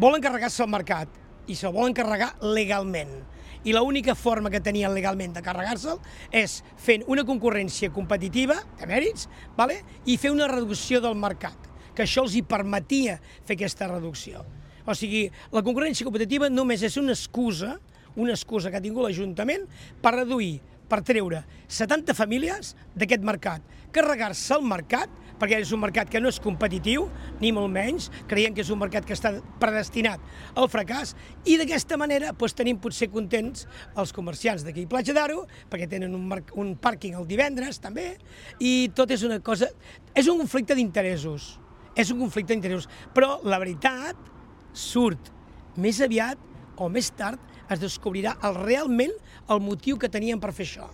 volen carregar-se el mercat i se'l volen carregar legalment. I l'única forma que tenien legalment de carregar-se'l és fent una concurrència competitiva de mèrits i fer una reducció del mercat, que això els hi permetia fer aquesta reducció. O sigui, la concurrència competitiva només és una excusa que ha tingut l'Ajuntament per reduir, per treure 70 famílies d'aquest mercat, carregar-se el mercat, perquè és un mercat que no és competitiu, ni molt menys, creiem que és un mercat que està predestinat al fracàs, i d'aquesta manera tenim potser contents els comerciants d'aquí a Platja d'Aro, perquè tenen un pàrquing el divendres també, i tot és una cosa... És un conflicte d'interessos, però la veritat surt més aviat o més tard, es descobrirà realment el motiu que tenien per fer això.